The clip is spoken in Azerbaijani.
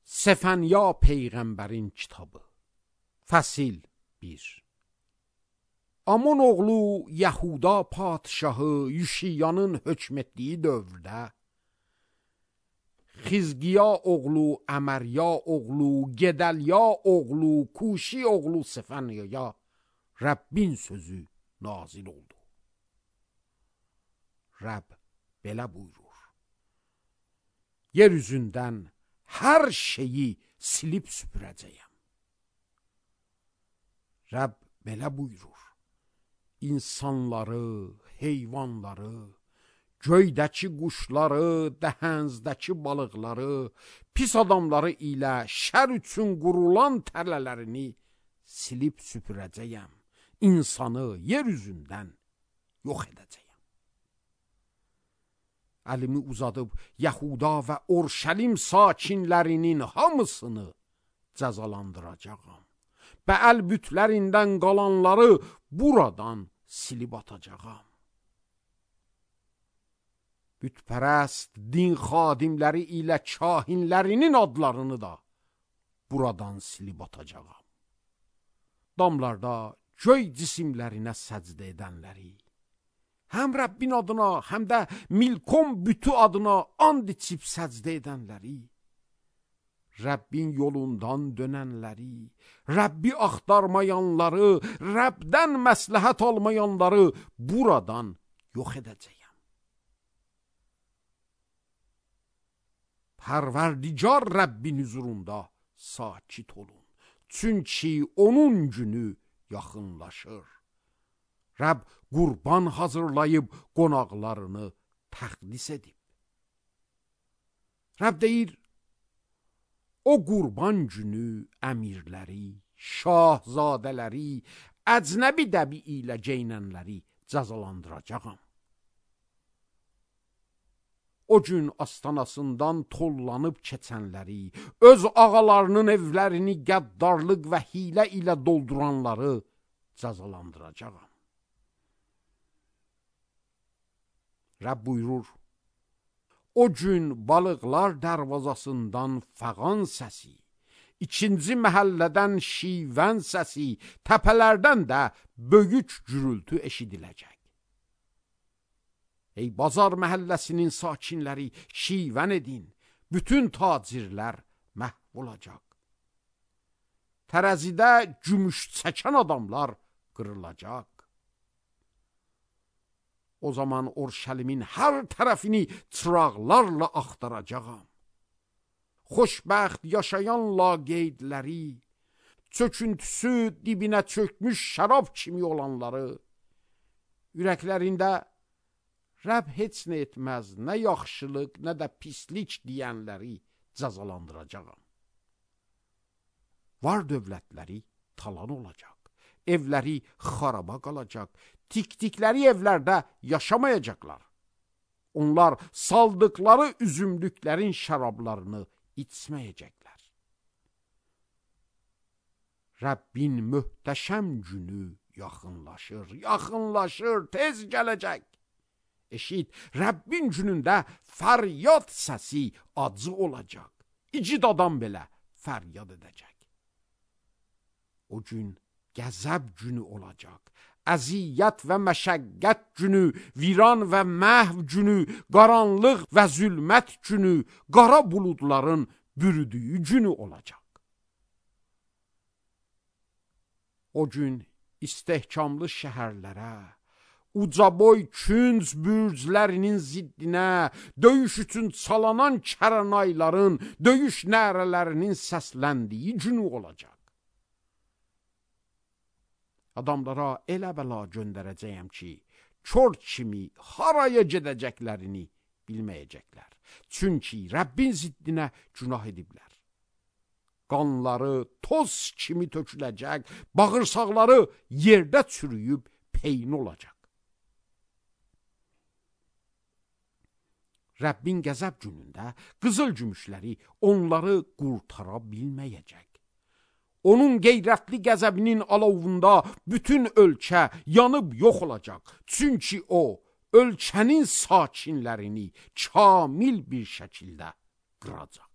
Səfənya Peyğəmbərin kitabı. Fəsil 1. Amon oğlu Yahuda padişahı Yüşiyanın hökm etdiyi dövrdə Xizqiya oğlu Əmərya oğlu Gedəlya oğlu Kuşi oğlu Səfənyaya Rəbbin sözü nazil oldu. Rəbb belə buyurur: yer üzündən hər şeyi silib süpürəcəyəm. Rəbb belə buyurur: İnsanları, heyvanları, göydəki quşları, dəhənzdəki balıqları, pis adamları ilə şər üçün qurulan tələlərini silib süpürəcəyəm. İnsanı yer üzündən yox edəcəyəm. Əlimi uzadıb Yahuda və Urşəlim sakinlərinin hamısını cəzalandıracağam. Bəəl bütlərindən qalanları buradan silib atacağam. Bütpərəst din xadimləri ilə kahinlərinin adlarını da buradan silib atacağam. Damlarda göy cisimlərinə səcdə edənləri, həm Rəbbin adına, həm də Milkom bütü adına and içib səcdə edənləri, Rəbbin yolundan dönənləri, Rəbbi axtarmayanları, Rəbdən məsləhət almayanları buradan yox edəcəyəm. Pərverdigar Rəbbin huzurunda sakit olun. Çünki onun günü yaxınlaşır. Rəbb qurban hazırlayıb qonaqlarını təqdis edib. Rəbb deyir, o qurban günü əmirləri, şahzadələri, əcnəbi dəbi ilə geyinənləri cəzalandıracağam. O gün astanasından tollanıb keçənləri, öz ağalarının evlərini qəddarlıq və hilə ilə dolduranları cəzalandıracağam. Rəbb buyurur, o gün balıqlar dərvazasından fəğan səsi, ikinci məhəllədən şivən səsi, təpələrdən də böyük gürültü eşidiləcək. Ey bazar məhəlləsinin sakinləri, şivən edin, bütün tacirlər məhv olacaq. Tərəzidə gümüş çəkən adamlar qırılacaq. O zaman Urşəlimin hər tərəfini çıraqlarla axtaracağam. Xoşbəxt yaşayan laqeydləri, çöküntüsü dibinə çökmüş şərab kimi olanları, ürəklərində Rəbb heç nə etməz, nə yaxşılıq, nə də pislik deyənləri cəzalandıracağam. Var dövlətləri talan olacaq, evləri xaraba qalacaq, tikdikləri evlərdə yaşamayacaqlar. Onlar saldıqları üzümlüklərin şərablarını içməyəcəklər. Rəbbin möhtəşəm günü yaxınlaşır, yaxınlaşır, tez gələcək. Eşit, Rəbbin günündə fəryad səsi acı olacaq. İcid adam belə fəryad edəcək. O gün qəzəb günü olacaq. Əziyyət və məşəqqət günü, viran və məhv günü, qaranlıq və zülmət günü, qara buludların bürüdüyü günü olacaq. O gün istehkamlı şəhərlərə, ucaboy künc bürclərinin ziddinə, döyüş üçün çalanan kəranayların, döyüş nərələrinin səsləndiyi günü olacaq. Adamlara elə bəla göndərəcəyəm ki, kör kimi haraya gedəcəklərini bilməyəcəklər. Çünki Rəbbin ziddinə günah ediblər. Qanları toz kimi töküləcək, bağırsaqları yerdə çürüyüb peyn olacaq. Rəbbin qəzəb günündə qızıl gümüşləri onları qurtara bilməyəcək. Onun qeyrətli qəzəbinin alovunda bütün ölkə yanıb yox olacaq. Çünki o, ölkənin sakinlərini kamil bir şəkildə qıracaq.